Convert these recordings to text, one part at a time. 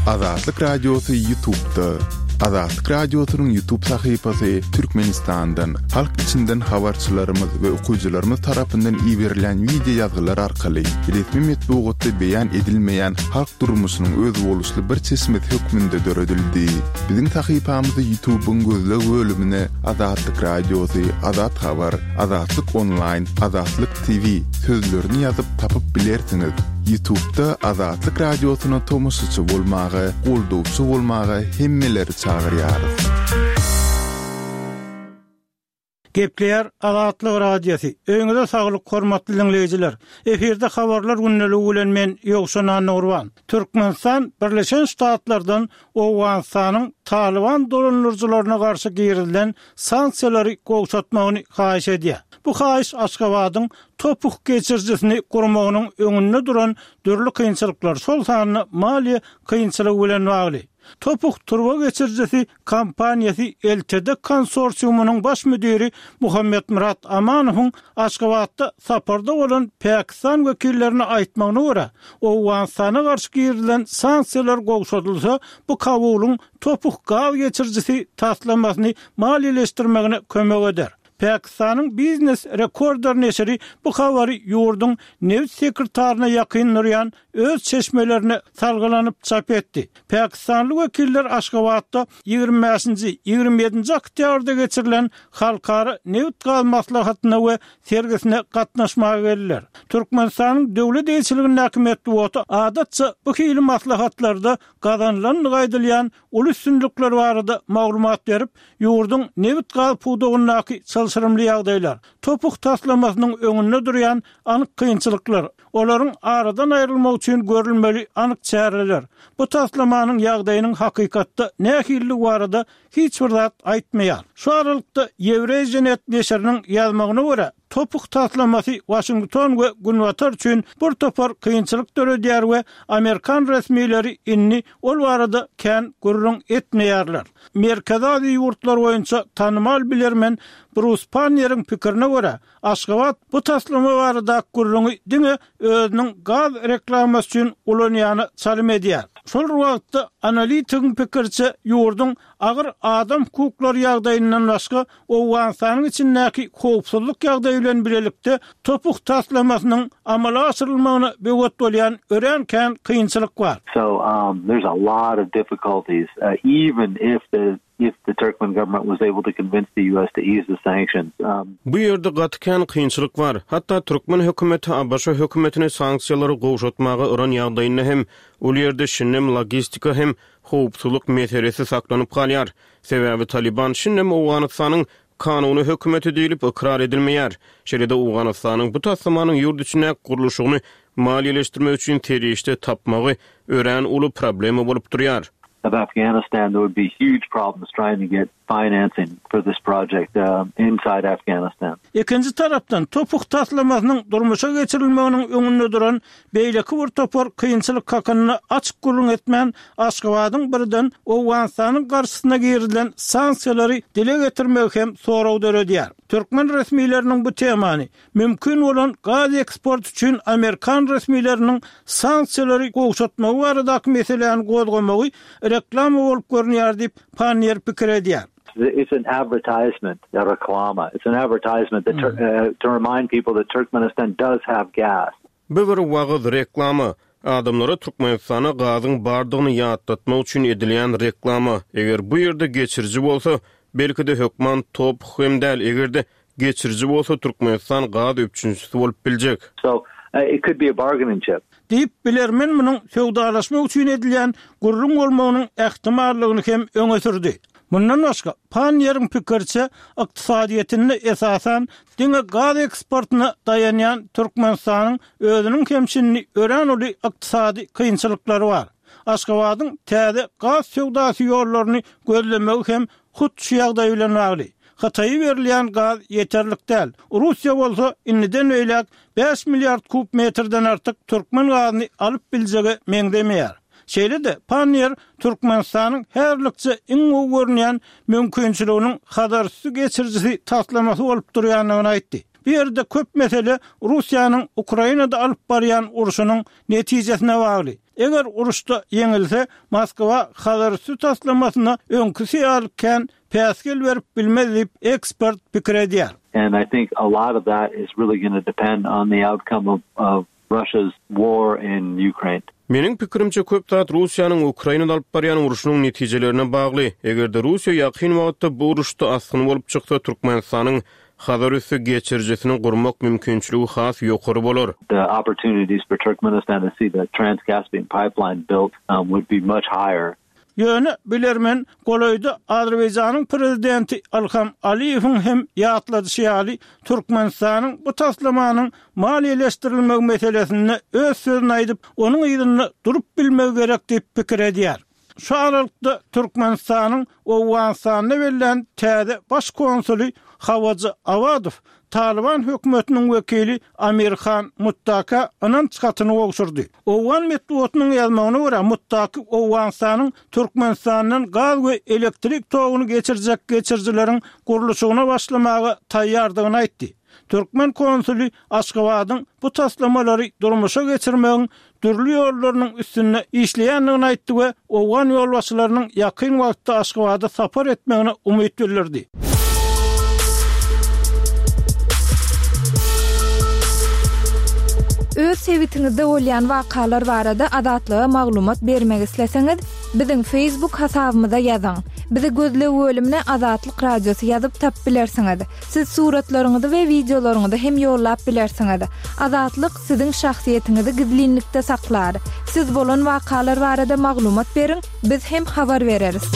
Azatlyk Radiosy Ýutubda. Azatlyk Radiosynyň Ýutub sahypasy Türkmenistandan, halk içinden habarçylarymyz we okyjylarymyz tarapyndan iberilýän wideo ýazgylar arkaly resmi metbugatda beýan edilmeýän halk durmuşynyň özboluşly bir çeşmesi hökmünde döredildi. Biziň sahypamyzy Ýutubyň gözleg bölümine Azatlyk Radiosy, Azat Habar, Azatlyk Onlaýn, Azatlyk TV sözlerini ýazyp tapyp bilersiňiz. Ýutubda Azatlyk Radiosyna tomaşaçy bolmaga, goldawçy bolmaga hemmeleri çagyrýarys. Gepleýär Azatlyk Radiosy. Öýüňize saglyk hormatly diňleýjiler. Efirde habarlar gündeligi bilen men Ýowşan Annagurban. Türkmenistan Birleşen Ştatlardan Owganystanyň Talyban dolandyryjylaryna garşy girizilen sanksiýalary gowşatmagyny haýyş edýär. Bu haýyş Aşgabadyň TOPH geçirijisini gurmagynyň öňünde duran dürli kynçylyklar, şol sanda maliýe kynçylygy bilen bagly. TOPH turba geçirijisi kompaniýasy LTD konsorsiumynyň baş müdiri Muhammetmyrat Amanowyň Aşgabatda saparda bolan pakistan wekillerine aýtmagyna görä, Owganystana garşy girizilen sanksiýalar gowşadylsa, bu Kabulyň TOPH gaz geçirijisi taslamasyny maliýeleşdirmegine kömek eder. Pakistanyň Business Recorder neşiri bu habary ýurduň nebit sekretaryna ýakyn durýan öz çeşmelerine salgylanyp çap etdi. Pakistanly wekiller Aşgabatda 25-nji, 27-nji oktýabrda geçirilen halkara nebit-gaz maslahatyna we sergisine gatnaşmaga geldiler. Türkmenistanyň döwlet eýeçiligindäki metbugaty adatça bu hili maslahatlarda gazanylandygy aýdylýan uly üstünlikler barada maglumat berip, ýurduň nebit-gaz pudagyndaky çylşyrymly ýagdaýlar, TOPH taslamasynyň öňünde durýan anyk kynçylyklar, olaryň aradan aýrylmagy üçin görülmeli anyk çäreler, bu taslamanyň ýagdaýynyň hakykatda nähilidigi barada hiç bir zat aýtmaýar. Şu aralykda, Eurasianet neşiriniň ýazmagyna görä, TOPH taslamasy Waşington we Günbatar üçin bir topar kynçylyk döredýär we amerikan resmileri indi ol barada kän gürrüň etmeýärler. Merkezi Aziýa ýurtlary boýunça tanymal bilermen Brus Panneriň pikirine görä, Aşgabat bu taslama baradaky gürrüňi diňe özüniň gaz reklamasy üçin ulanýana çalym edýär. Şol bir wagtda, analitigiň pikiriçe, ýurduň agyr adam hukuklary ýagdaýyndan başga, Owganystanyň içindäki howpsuzlyk ýagdaýy bilen bilelikde TOPH taslamasynyň amala aşyrylmagyna böwet bolýan örän kän kynçylyk bar. So there's a lot of difficulties even if the if the Turkmen government was able to convince the US to ease the sanctions. Bu ýerde gaty kän kynçylyk bar. Hatda türkmen hökümeti ABŞ hökümetini sanksiýalary gowşatmaga yran ýagdaýynda hem ol ýerde şindem logistika hem howpsuzlyk meselesi saklanyp galýar. Sebäbi Talyban şindem Owganystanyň kanuny hökümeti diýlip ykrar edilmeýär. Şeýle-de Owganystanyň bu taslamanyň ýurt içindäki gurluşygyny maliýeleşdirmek üçin serişde tapmagy örän uly problema bolup durýar. Of Afghanistan there would be huge problems trying to get financing for this project inside Afghanistan. Ikinji tarapdan, TOPH taslamasynyň durmuşa geçirilmeginiň öňünde duran Beýleki bir topar kynçylyk hakynda açyk gürrüň etmän, Aşgabadyň birden Owganystanyň garşysyna girizilen sanksiýalary dile getirmegi hem sorag döredýär. Türkmen resmileriniň bu temany, mümkin bolan gaz eksporty üçin amerikan resmileriniň sanksiýalary gowşatmagy baradaky meseläni gozgamagy reklama bolup görünýär diýip, Panniýer pikir edýär. It's an advertisement, reklama. It's an advertisement that to remind people that Turkmenistan does have gas. Bu bir wagyz, reklama. Adamlara Türkmenistanda gazyň bardygyny ýatlatmak üçin edilýän reklama. Eger bu ýerde geçiriji bolsa, belki-de hökman TOPH hem däl, eger-de geçiriji bolsa Türkmenistan gaz üpjünçisi bolup biljek. So, it could be a bargaining chip. Diýip, bilermen munuň söwdalaşmak üçin edilýän gürrüň bolmagynyň ähtimallygyny hem öňe sürdi. Mundan başga, Panniýeriň pikiriçe, ykdysadyýetinde esasan diňe gaz eksportyna daýanýan Türkmenistanyň özüniň hem şindi örän uly ykdysady kynçylyklary bar. Aşgabadyň täze gaz söwdasy ýollaryny gözlemegi hem hut şu ýagdaý bilen bagly. Hytaýa berilýän gaz ýeterlik däl. Russiýa bolsa indiden beýläk 5 milliard kub metrden artyk türkmen gazyny alyp biljege meňzemeýär. Şeýle-de, Panniýer Türkmenistanyň häzirlikçe iň gowy görünýän mümkinçiliginiň Hazarüsti geçirijisi taslamasy bolup durýandygyny aýtdy. Bu ýerde köp mesele Russiýanyň Ukrainada alyp barýan urşunyň netijesine bagly. Eger uruşda ýeňilse, Moskwa Hazarüsti taslamasyna öňküsi ýaly kän päsgel berip bilmez diýip, ekspert pikir edýär. And I think a lot of that is really gonna depend on the outcome of of Russia's war in Ukraine. Meniň pikirimçe, köp zat Russiýanyň Ukrainada alyp barýan urşunyň netijelerine bagly. Eger-de Russiýa ýakyn wagtda bu uruşda asgyn bolup çyksa, Türkmenistanyň Hazarüsti geçirijisini gurmak mümkinçiligi has ýokary bolar. The opportunities for Turkmenistan to see the Trans-Caspian pipeline built would be much higher. Ýöne bilermen golaýda Azerbaýjanyň prezidenti Ilham Aliýewiň hem ýatladyşy ýaly, Türkmenistanyň bu taslamanyň maliýeleşdirilmegi meselesinde öz sözüni aýdyp, onuň yzynda durup bilmegi gerek diýip pikir edýär. Şu aralykda Türkmenistanyň Owganystanda bellän täze baş konsuly Hawajy Awadow Talyban hökümetiniň wekili Amir Han Muttaka ynanç hatyny gowşurdy. Owgan metbugatynyň ýazmagyna görä, Muttaki Owganystanyň Türkmenistandan gaz we elektrik toguny geçirjek geçirijileriň gurluşygyna başlamaga taýýardygyny aýtdy. Türkmen konsuly Aşgabadyň bu taslamalary durmuşa geçirmegiň dürli ýollarynyň üstünde işleýändigini aýtdy we owgan ýolbaşçylarynyň ýakyn wagtda Aşgabada sapar etmegine umyt bildirdi. Öz sebitiňizde bolýan wakalar barada Azatlyga maglumat bermek isleseňiz, biziň Facebook hasabymyza ýazyň. Bizi gözleg bölümine Azatlyk Radiosy ýazyp tapyp bilersiňiz. Siz suratlaryňyzy we wideolaryňyzy hem ýollap bilersiňiz. Azatlyk siziň şahsyýetiňizi gizlinlikde saklar. Siz bolan wakalar barada maglumat beriň, biz hem habar bereris.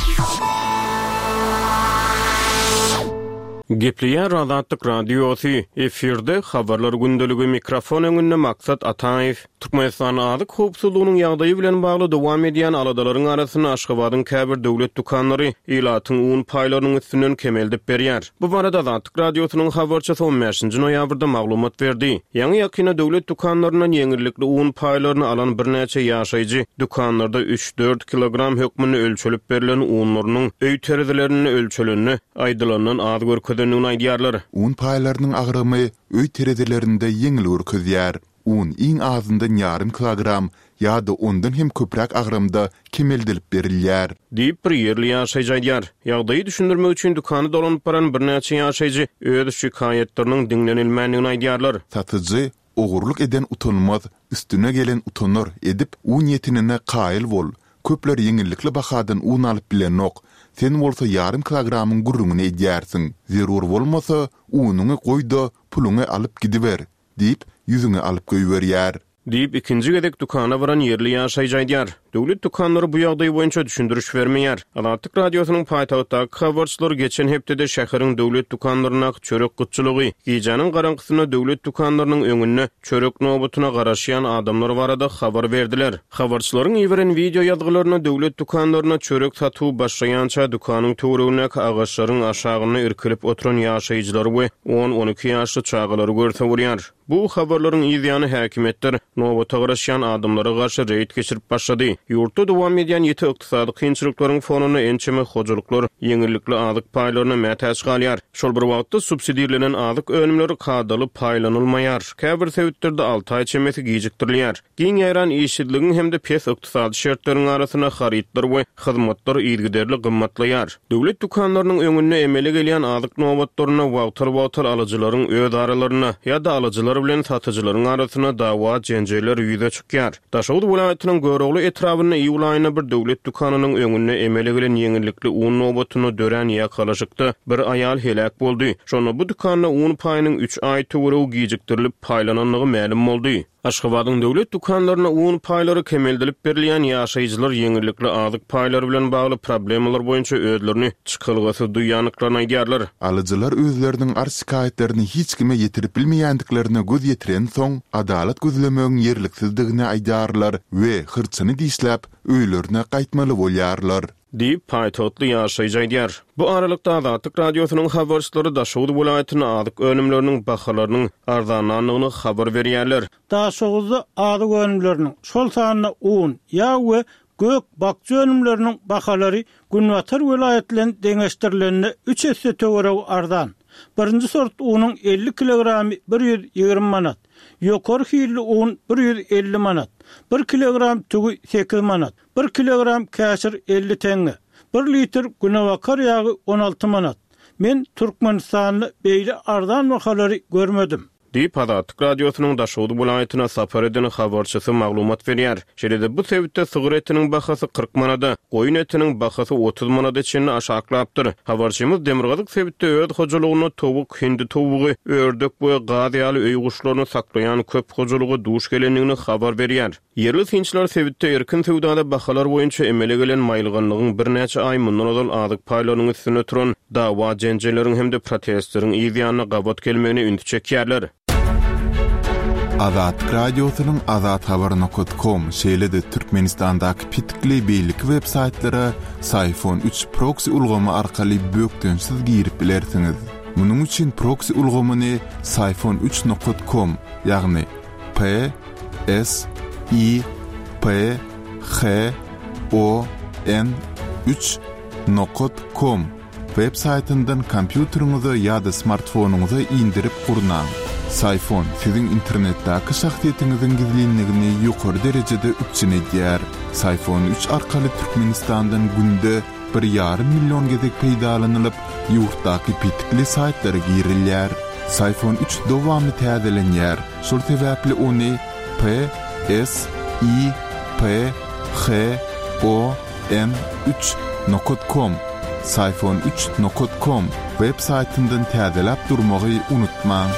Gepleýär Azatlyk Radiosy, efirde Habarlar gündeligi, mikrofon öňünde Maksat Ataýew. Türkmenistanda azyk howpsuzlygynyň ýagdaýy bilen bagly dowam edýän aladalaryň arasynda Aşgabadyň käbir döwlet dükanlary ilatyň un paýlarynyň üstünden kemeldip berýär. Bu barada Azatlyk Radiosynyň habarçysy on bäşinji noýabrda maglumat berdi. Ýaňy-ýakynda döwlet dükanlaryndan ýeňillikli un paýlaryny alan birnäçe ýaşaýjy dükanlarda üç-dört kilogram hökmünde ölçelip berlen unlarynyň öý terezilerinde ölçelende aýdylandan az görkezendigini aýdýarlar. Un paýlarynyň agramy öý terezilerinde ýeňil görkezýär. Un iň azyndan ýarym kilogram ýa-da ondan hem köpräk agramda kemeldilip berilýär. Diýip, bir ýerli ýaşaýjy aýdýar. Ýagdaýy düşündirmek üçin dükana dolanyp baran birnäçe ýaşaýjy öz şikaýatlarynyň diňlenilmändigini aýdýarlar. Satyjy, Ogurlyk eden utanmaz, üstüne gelen utanar edip, un ýetenine kaýyl bol. Köpler ýeňillikli bahadan un alyp bilenok, sen bolsa ýarym kilogramyň gürrüňini edýärsiň. Zerur bolmasa, unuňy goý-da, puluňy alyp gidiber. Diýip, ýüzüňi alyp goýberýär. Diýip, ikinji gezek dükana baran ýerli ýaşaýjy aýdýar. Döwlet dükanlary bu ýagdaý boýunça düşündiriş bermeýär. Azatlyk Radiosynyň paýtagtdaky habarçylary geçen hepdede şäheriň döwlet dükanlaryndaky çörek gytçylygy, gijäniň garaňkysynda döwlet dükanlarynyň öňünde çörek nobatyna garaşýan adamlar barada habar berdiler. Habarçylaryň iberen wideo ýazgylarynda döwlet dükanlarynda çörek satuwy başlaýança dükanyň töweregindäki agaçlaryň aşagynda irkilip oturan ýaşaýjylary we on-on iki ýaşly çagalary görse bolýar. Bu habarlaryň yz ýany häkimiýetler nobata garaşýan adamlara garşy reýd geçirip başlady. Ýurtda dowam edýän ýiti ykdysady kynçylyklaryň fonunda ençeme hojalyklar ýeňillikli azyk paýlaryna mätäç galýar. Şol bir wagtda, subsidirlenen azyk önümleri kadaly paýlanylmaýar. Käbir sebitlerde alty aý çemesi gijikdirilýär. Giň ýaýran işsizligiň hem-de pes ykdysady şertleriň arasynda harytlar we hyzmatlar yzygiderli gymmatlaýar. Döwlet dükanlarynyň öňünde emele gelýän azyk nobatlarynda wagtal-wagtal alyjylaryň öz aralarynda ýa-da alyjylar bilen satyjylaryň arasynda dawa-jenjeller ýüze çykýar. Daşoguz welaýatynyň Görogly etrabynda iýul aýynda bir döwlet dükanynyň öňünde emele gelen ýeňillikli un nobatynda dörän ýakalaşykda bir aýal heläk boldy. Şonda bu dükanda un paýynyň üç aý töweregi gijikdirilip paýlanandygy mälim boldy. Aşgabadyň döwlet dükanlarynda un paýlary kemeldilip berilýän ýaşaýjylar ýeňillikli azyk paýlary bilen bagly problemalar boýunça özlerini çykalgasyz duýýandyklaryny aýdýarlar. Alyjylar özleriniň arz-şikaýatlaryny hiç kime ýetirip bilmeýändiklerine göz ýetirensoň, adalat gözlemegiň ýerliksizdigini aýdýarlar we hyrçyny dişläp, öýlerine gaýtmaly bolýarlar. Diýip, paýtagtly ýaşaýjy aýdýar. Bu aralykda, Azatlyk Radiosynyň habarçylary Daşoguz welaýatynda azyk önümleriniň bahalarynyň arzanlandygyny habar berýärler. Daşoguzda azyk önümleriniň, şol sanda un, ýag we Gök-bakja önümleriniň bahalary günbatar welaýat bilen deňeşdirilende üç esse töweregi arzan. Birinji sort unuň 50 kilogramy 120 manat, ýokary hilli un 150 manat, bir kilogram tüwi 8 manat, bir kilogram käşir 50 teňňe, bir litr günebakar ýagy 16 manat. Men Türkmenistanda beýle arzan bahalary görmedim. Diýip, Azatlyk Radiosynyň Daşoguz welaýatyna sapar eden habarçysy maglumat berýär. Şeýle-de bu sebitde sygyr etiniň bahasy 40 manada, goýun etiniň bahasy 30 manada çenli aşaklapdyr. Habarçymyz demirgazyk sebitde öz hojalygynda towuk, hindi towugy, ördek we gaz ýaly öý guşlaryny saklaýan köp hojalyga duş gelendigini habar berýär. Ýerli synçylar sebitde erkin söwdada bahalar boýunça emele gelen maýylganlygyň birnäçe aý mundan ozal azyk paýlarynyň üstünde turan dawa-jenjelleriň hem-de protestleriň yz ýanyna gabat gelmegine ünsi çekýärler. Azatlyk Radiosynyň Azathabar nokat kom şeýle-de Türkmenistandaky petikli beýleki web saýtlara Syfon üç proksi ulgamy arkaly bökdençsiz girip bilersiňiz. Munuň üçin proksi ulgamyny Syfon üç nokat kom, ýagny P S I P H O N 3 nokat kom web saýtyndan kompýuteriňize ýa-da smartfonyňyza indirip gurnaň. Syfon siziň internetdäki şahsyýetiňiziň gizlinligini ýokary derejede üpjün edýär. Syfon 3 arkaly Türkmenistandan günde bir ýarym million gezek peýdalanylyp, ýurtdaky petikli saýtlara girilýär. Syfon 3 dowamly täzelenýär, şol sebäpli ony P, S, I, P, H, O, N 3 nokat kom, Syfon 3 nokat kom, web saýtyndan täzeläp durmagy unutmaň.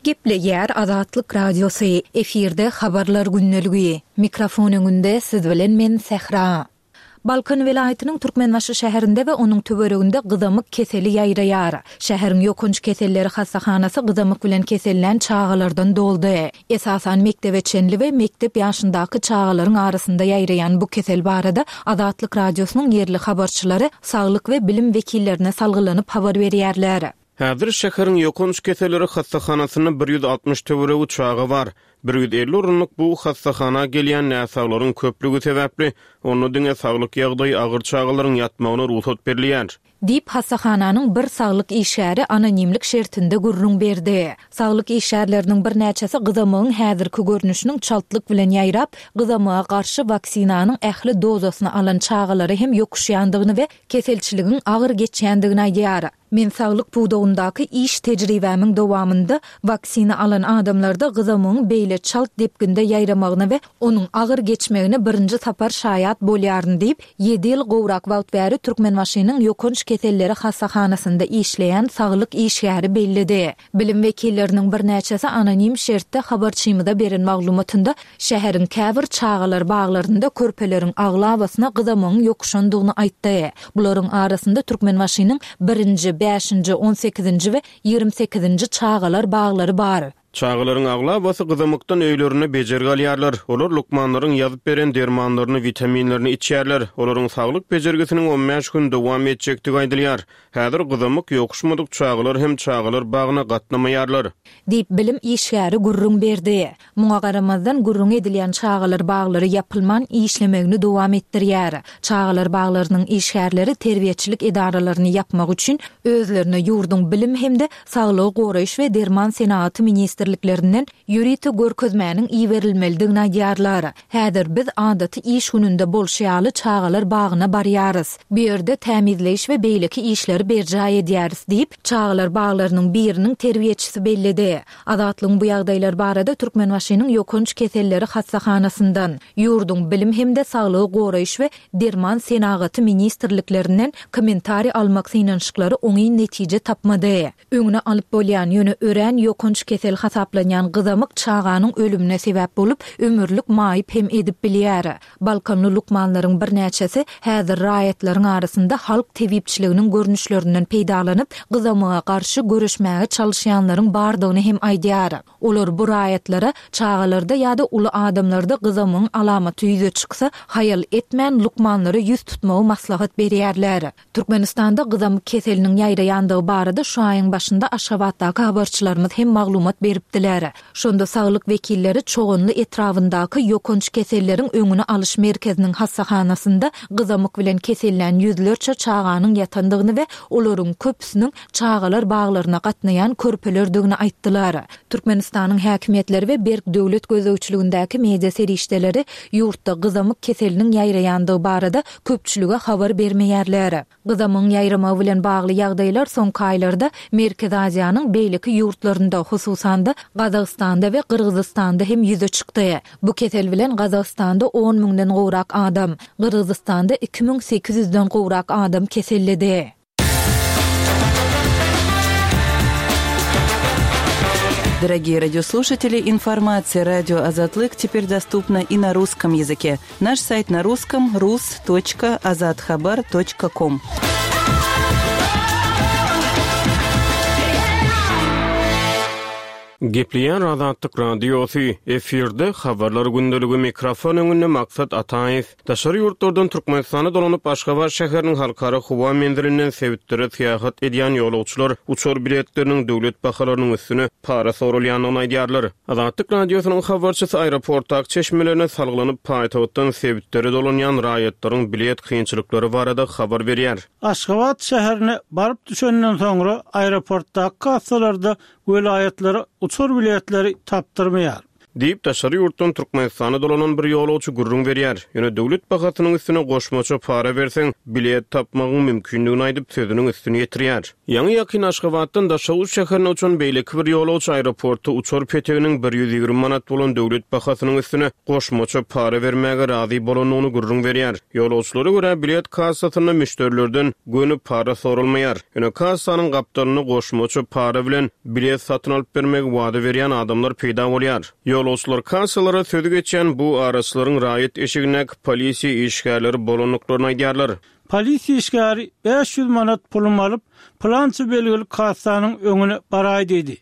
Gepleýär Azatlyk Radiosy, efirde Habarlar gündeligi. Mikrofon öňünde siz bilen men Sähra. Balkan welaýatynyň Türkmenbaşy şäherinde we onuň töwereginde gyzamyk keseli ýaýraýar. Şäheriň ýokanç keselleri hassahanasy gyzamyk bilen kesellän çagalardan doldy. Esasan mekdebe çenli we mekdep ýaşyndaky çagalaryň arasynda ýaýraýan bu kesel barada Azatlyk Radiosynyň ýerli habarçylary saglyk we bilim wekillerine salgylanyp habar berýärler. Häzir şäheriň ýokanç keselleri hassahanasynda 160 töweregi çaga bar. 150 orunlyk bu hassahana gelýän näsaglaryň köplügi sebäpli, onda diňe saglyk ýagdaýy agyr çagalaryň ýatmagyna rugsat berilýär. Diýip, hassahananyň bir saglyk işgäri anonimlik şertinde gürrüň berdi. Saglyk işgärleriniň birnäçesi gyzamygyň häzirki görnüşiniň çaltlyk bilen ýaýrap, gyzamyga garşy waksinanyň ähli dozasyny alan çagalara hem ýokuşýandygyny we keselçiligiň agyr geçýändigini aýdýar. Men saglyk pudagyndaky iş tejribämiň dowamynda waksina alan adamlarda gyzamygyň beýle çalt depginde ýaýramagyna we onuň agyr geçmegine birinji sapar şaýat bolýaryn diýip, ýedi ýyl gowrak wagt bäri Türkmenbaşynyň ýokanç keselleri hassahanasynda işleýän saglyk işgäri belledi. Bilim wekilleriniň birnäçesi anonim şertde habarçymyza beren maglumatynda şäheriň käbir çagalar baglarynda körpeleriň aglabasyna gyzamygyň ýokuşandygyny aýtdy. Bularyň arasynda Türkmenbaşynyň birinji, bäşinji, on sekizinji we 28-nji çagalar baglary bar. Çagalaryň aglabasy gyzamykdan öýlerinde bejergi alýarlar. Olar lukmanlaryň ýazyp beren dermanlaryny, witaminlerini içýärler. Olaryň saglyk bejergisiniň on bäş gün dowam etjekdigi aýdylýar. Häzir gyzamyk ýokuşmadyk çagalar hem çagalar bagyna gatnamaýarlar. Diýip, bilim işgäri gürrüň berdi. Muňa garamazdan, gürrüňi edilýän çagalar baglary ýapylman, işlemegini dowam etdirýär. Çagalar baglarynyň işgärleri terbiýeçilik edaralaryny ýapmak üçin özlerine ýurduň Bilim hem-de Saglygy goraýyş we Derman senagaty ministrliklerinden ýörite görkezmäniň iberilmelidigini aýdýarlar. Häzir biz adaty iş gününde bolşy ýaly çagalar bagyna barýarys. Bu ýerde tämizleýiş we beýleki işleri berjaý edýäris diýip, çagalar baglarynyň biriniň terbiýeçisi belledi. Azatlygyň bu ýagdaýlar barada Türkmenbaşynyň ýokanç keselleri hassahanasyndan, ýurduň Bilim hem-de Saglygy goraýyş we Derman senagaty ministrliklerinden kommentariý almak synanyşyklary oňyn netije tapmady. Öňüni alyp bolýan, ýöne örän ýokanç kesel hasaplanýan gyzamyk çaganyň ölümine sebäp bolup, ömürlik maýyp hem edip bilýär. Balkanly lukmanlaryň birnäçesi häzir raýatlaryň arasynda halk tebipçiliginiň görnüşlerinden peýdalanyp, gyzamyga garşy göreşmäge çalyşýanlaryň bardygyny hem aýdýar. Olar bu raýatlara çagalarda ýa-da uly adamlarda gyzamygyň alamaty ýüze çyksa, haýal etmän lukmanlara ýüz tutmagy maslahat berýärler. Türkmenistanda gyzamyk keseliniň ýaýraýandygy barada şu aýyň başynda Aşgabatdaky habarçylarymyz hem maglumat beripdiler. beripdiler. Şonda saglyk wekilleri Çoganly etrabyndaky ýokanç keselleriň öňüni alyş merkeziniň hassahanasynda gyzamyk bilen kesellän ýüzlerçe çaganyň ýatandygyny we olaryň köpüsiniň çagalar baglaryna gatnaýan körpelerdigini aýtdylar. Türkmenistanyň häkimiýetleri we berk döwlet gözegçiligindäki media serişdeleri ýurtda gyzamyk keseliniň ýaýraýandygy barada köpçülige habar bermeýärler. Gyzamygyň ýaýramagy bilen bagly ýagdaýlar soňky aýlarda Merkezi Aziýanyň beýleki ýurtlarynda, hususan-da, Gazagystanda we Gyrgyzystanda hem ýüze çykdy. Bu kesel bilen Gazagystanda on müňden gowrak adam, Gyrgyzystanda 2800 den gowrak adam keselledi. Дорогие радиослушатели, информация радио Азатлык теперь доступна и на русском языке. Наш сайт на русском rus.azathabar.com. Gepleýär Azatlyk Radiosy, efirde Habarlar gündeligi mikrofon öňünde Maksat Ataýew. Daşary ýurtlardan Türkmenistana dolanyp, Aşgabat şäheriniň halkara howa menzilinden sebitlere syýahat edýän ýolagçylar uçar biletleriniň döwlet bahalarynyň üstüne para soralýandygyny aýdýarlar. Azatlyk Radiosynyň habarçysy aeroportdaky çeşmelerine salgylanyp, paýtagtdan sebitlere dolanýan raýatlaryň bilet kynçylyklary barada habar berýär. Aşgabat şäherine baryp düşenden soňra aeroportdaky kassalarda welaýatlara uçar biletleri tapdyrmaýar. Diýip, daşary ýurtdan Türkmenistana dolanan bir ýolagçy gürrüň berýär. Ýöne döwlet bahasynyň üstüne goşmaça para berseň, bilet tapmagyň mümkindigini aýdyp, sözüniň üstüni ýetirýär. Ýaňy-ýakyn Aşgabatdan Daşoguz şäherine uçan beýleki bir ýolagçy aeroportda uçar peteginiň 120 manat bolan döwlet bahasynyň üstüne goşmaça para bermäge razy bolandygyny gürrüň berýär. Ýolagçylara görä, bilet kassasynda müşderilerden göni para soralmaýar. Ýöne kassanyň gapdalynda goşmaça para bilen bilet satyn alyp bermegi wada berýän adamlar peýda bolýar. Ýolagçylar kassalara sözi geçýän bu araçylaryň raýat eşigindäki polisiýa işgärleri bolandyklaryny aýdýarlar. Polisiýa işgäri 500 manat pulumy alyp, pylança belgili kassanyň öňüne baraý diýdi.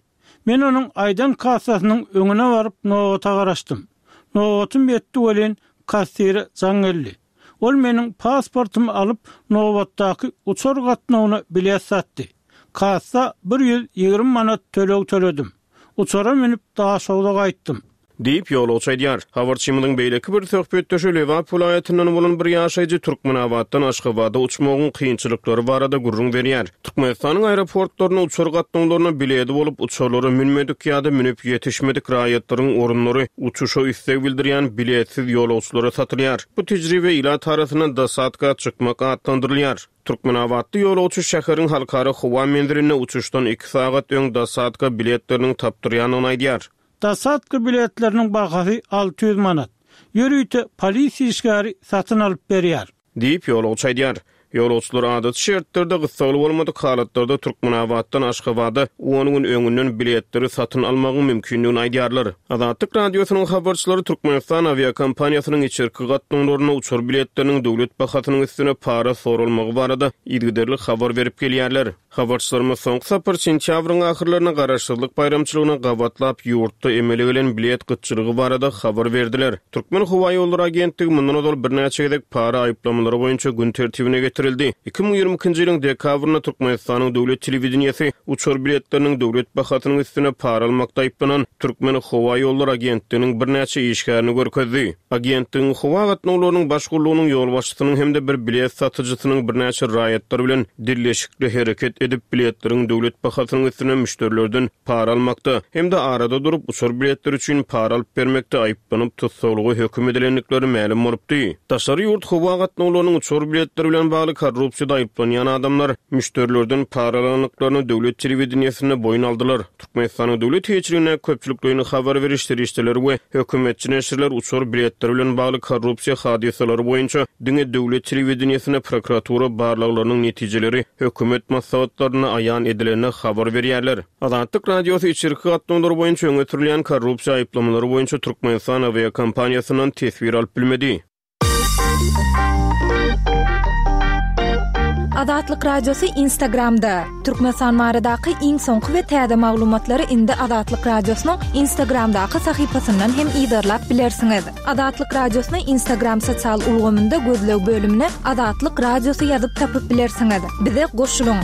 Men onuň aýdan kassasynyň öňüne baryp nobata garaşdym. Nobatym ýetdi welin, kassire jaň geldi. Ol meniň pasportymy alyp, nobatdaky uçar gatnawyna bilet satdy. Kassa 120 manat töleg töledim. Uçara münüp Daşogza gaýtdym. Diýip, ýolagçy aýdýar. Habarçymyzyň beýleki bir söhbetdeşi Lebap welaýatyndan bolan bir ýaşaýjy Türkmenabatdan Aşgabada uçmagyň kynçylyklary barada gürrüň berýär. Türkmenistanyň aeroportlarynda uçar gatnawlaryna biledi bolup, uçarlara münmedik ýa-da münüp ýetişmedik raýatlaryň orunlary uçuşa isleg bildirýän biletsiz ýolagçylara satylýar. Bu tejribe ilat arasynda dosadka çykmak atlandyrylýar. Türkmenabatly ýolagçy şäheriň halkara howa menzilinde uçuşdan iki sagat öň dosadka biletleriniň tapdyrýandygyny aýdýar. Dosadka biletleriniň bahasy 600 manat. Ýörite polisiýa işgäri satyn alyp berýär. Diýip, ýolagçy aýdýar. Ýolagçylar adaty şertlerde gyssagly bolmadyk halatlarda Türkmenabatdan Aşgabada on gün öňünden biletleri satyn almagyň mümkindigini aýdýarlar. Azatlyk Radiosynyň habarçylary Türkmenistan awiakompaniýasynyň içerki gatnawlarynda uçar biletleriniň döwlet bahasynyň üstüne para soralmagy barada yzygiderli habar berip gelýärler. Habarçylarymyz soňky sapar sentýabryň ahyrlarynda Garaşsyzlyk baýramçylygyna gabatlap ýurtda emele gelen bilet gytçylygy barada habar berdiler. Türkmenhowaýollary agentligi mundan ozal birnäçe gezek para aýyplamalary boýunça gün tertibine getirildi. 2022-nji ýylyň dekabrynda Türkmenistanyň döwlet telewideniýesi uçar biletleriniň döwlet bahasynyň üstüne para almakda aýyplanan Türkmenhowaýollary agentliginiň birnäçe işgärini görkezdi. Agentligiň howa gatnawlarynyň baş gullugynyň ýolbaşçysynyň hem-de bir bilet satyjysynyň birnäçe raýatlar bilen dilleşikli hereket edip, biletleriň döwlet bahasynyň üstüne müşderilerden para almakda hem-de arada durup, uçar biletleri üçin para alyp bermekde aýyplanyp, tussaglyga höküm edilendikleri mälim bolupdy. Daşary ýurt howa gatnawlarynyň uçar biletleri bilen bagly korrupsiýada aýyplanýan adamlar müşderilerden para alandyklaryny döwlet telewideniýesinde boýun aldylar. Türkmenistanyň döwlet eýeçiligindäki köpçülikleýin habar beriş serişdeleri we hökümetçi neşirler uçar biletleri bilen bagly korrupsiýa hadysalary boýunça diňe döwlet telewideniýesinde prokuratura barlaglarynyň netijeleri hökümet maslahatlarynda aýan edilende habar berýärler. Azatlyk Radiosy içerki gatnawlar boýunça öňe sürülýän korrupsiýa aýyplamalary boýunça Türkmenistan awiakompaniýasyndan teswir alyp bilmedi. Azatlyk Radiosy Instagramda. Türkmenistan baradaky iň soňky we täze maglumatlary indi Azatlyk Radiosynyň Instagramdaky sahypasyndan hem yzarlap bilersiňiz. Azatlyk Radiosyny Instagram sosial ulgamynda gözleg bölümine Azatlyk Radiosy ýazyp tapyp bilersiňiz. Bize goşulyň!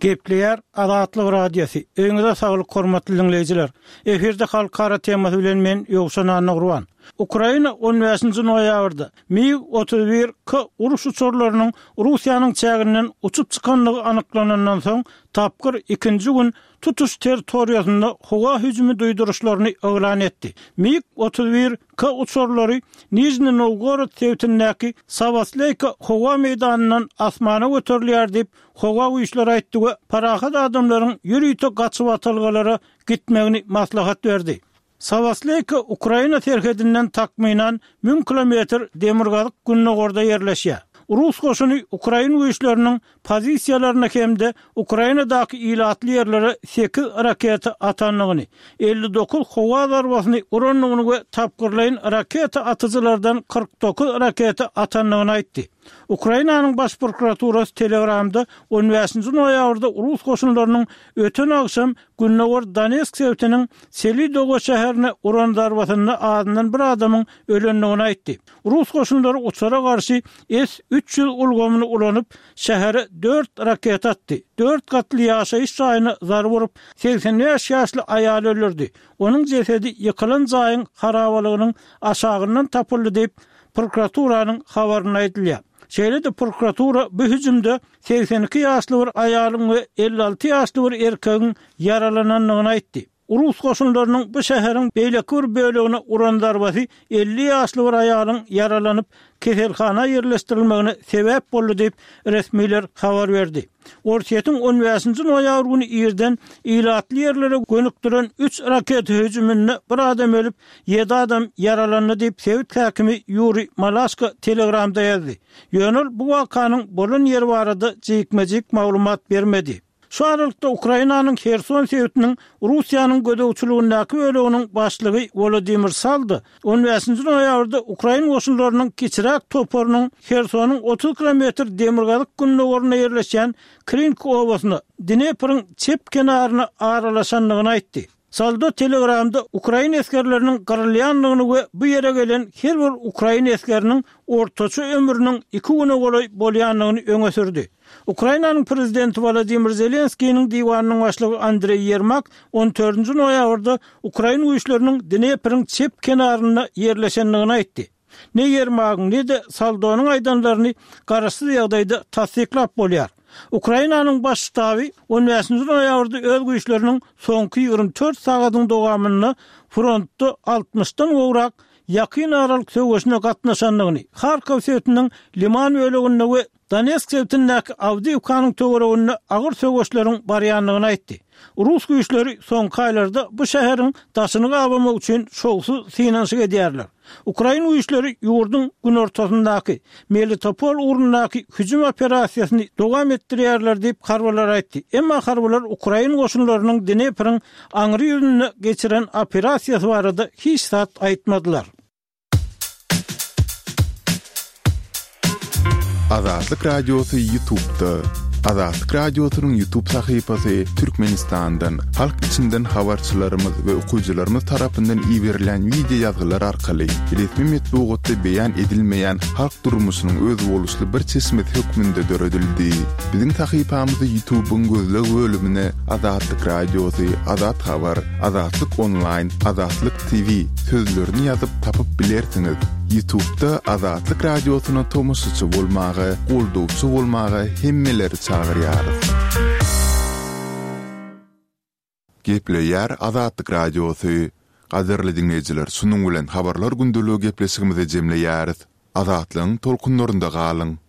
Gepleýär Azatlyk Radiosy, Öýüňize saglyk hormatly diňleýjiler! Efirde halkara temasy bilen men Ýowşan Annagurban. Ukraina on bäşinji noýabrda MiG 31 K uruş uçarlarynyň Russiýanyň çäginden uçup çykandygy anyklanandan soň tapgyr ikinji gün tutuş territoriýasynda howa hüjümi duýduryşlaryny yglan etdi. MiG 31 K uçarlary Nižni Nowgorod sebitindäki Sawasleýka howa meýdanyndan asmana göterilýär diýip, howa güýçleri aýtdy we parahat adamlaryň ýörite gaçybatalgalara gitmegini maslahat berdi. Sawasleýka Ukraina serhedinden takmynan müň kilometr demirgazyk-gündogarda ýerleşýär. Rus goşuny ukrain güýçleriniň pozisiýalaryna hem-de Ukrainadaky ilatly ýerlere sekiz raketa atandygyny, 59 howa zarbasyny urandygyny we tapgyrlaýyn raketa atyjylardan 49 raketa atandygyny aýtdy. Ukrainanyň Baş prokuraturasy Telegramda on bäşinji noýabrda rus goşunlarynyň öten agşam gündogar Donetsk sebitiniň Selidowo şäherine uran zarbasynda azyndan bir adamyň ölendigini aýtdy. Rus goşunlary uçara garşy S 300 ulgamyny ulanyp, şähere dört raketa atdy, dört gatly ýaşaýyş jaýyna zarba urup, 85 ýaşly aýaly öldürdi. Onuň jesedi ýykylan jaýyň harabalygynyň aşagyndan tapyldy diýip, prokuraturanyň habarynda aýdylýar. Şeýle-de prokuratura bu hüjümde 82 ýaşly bir aýalyň we 56 ýaşly bir erkegiň ýaralanandygyny aýtdy. Rus goşunlarynyň bu şäheriň beýleki bir bölegine uran zarbasy 50 ýaşly bir aýalyň ýaralanyp, keselhana ýerleşdirilmegine sebäp boldy diýip, resmiler habar berdi. Orsýetiň on bäşinji noýabr güni irden ilatly ýerlere gönükdiren üç raketa hüjüminde bir adam ölüp, ýedi adam ýaralandy diýip, sebit häkimi Ýuriý Malaşko Telegramda ýazdy. Ýöne ol bu wakanyň bolan ýeri barada jikme-jik maglumat bermedi. Şu aralykda, Ukrainanyň Herson sebitiniň Russiýanyň gözegçiligindäki böleginiň başlygy Wolodymyr Saldo on bäşinji noýabrda ukrain goşunlarynyň kiçiräk toparynyň Hersonyň 30 kilometr demirgazyk-gündogarynda ýerleşýän Krinki obasyna, Dnepriň çep kenaryna aralaşandygyny aýtdy. Saldo Telegramda ukrain esgerleriniň gyrylýandygyny we bu ýere gelen her bir ukrain esgeriniň ortaça ömrüniň iki güne golaý bolýandygyny öňe sürdi. Ukrainanyň prezidenti Wolodymyr Zelenskiniň diwanynyň başlygy Andreý Ýermak on dördünji noýabrda ukrain güýçleriniň Dnepriň çep kenarynda ýerleşendigini aýtdy. Ne Ýermagyň, ne-de Saldonyň aýdanlaryny garaşsyz ýagdaýda tassyklap bolýar. Ukrainanyň Baş ştaby on bäşinji noýabrda öz güýçleriniň soňky 24 sagadyň dowamynda frontda altmyşdan gowrak ýakyn aralyk söweşine gatnaşandygyny, Harkow sebitiniň Liman böleginde we Donetsk sebitindäki Awdiýewkanyň töwereginde agyr söweşleriň barýandygyny aýtdy. Rus güýçleri soňky aýlarda bu şäheriň daşyny gabamak üçin şowsuz synanyşyk edýärler. Ukrain güýçleri ýurduň günortasyndaky Melitopol ugrundaky hüjüm operasiýasyny dowam etdirýärler diýip, harbylar aýtdy. Emma harbylar ukrain goşunlarynyň Dnepriň aňry ýüzünde geçiren operasiýasy barada hiç zat aýtmadylar. Azatlyk Radiosy YouTube'da. Azatlyk Radiosynyň YouTube sahypasy Türkmenistandan, halk içinden habarçylarymyz we okyjylarymyz tarapyndan iberilen wideo ýazgylar arkaly resmi metbugatda beýan edilmeýän halk durmuşynyň özboluşly bir çeşmesi hökmünde döredildi. Biziň sahypamyzy YouTube'yň gözleg bölümine Azatlyk Radiosy, Azat Habar, Azatlyk Onlaýn, Azatlyk TV sözlerini ýazyp tapyp bilersiňiz. Ýutubda Azatlyk Radiosyna tomaşaçy bolmaga, goldawçy bolmaga hemmeleri çagyrýarys. Gepleýär Azatlyk Radiosy. Gadyrly diňleýjiler şunuň bilen Habarlar gündeligi gepleşigimizi jemleýäris. Azatlygyň tolkunlarynda galyň!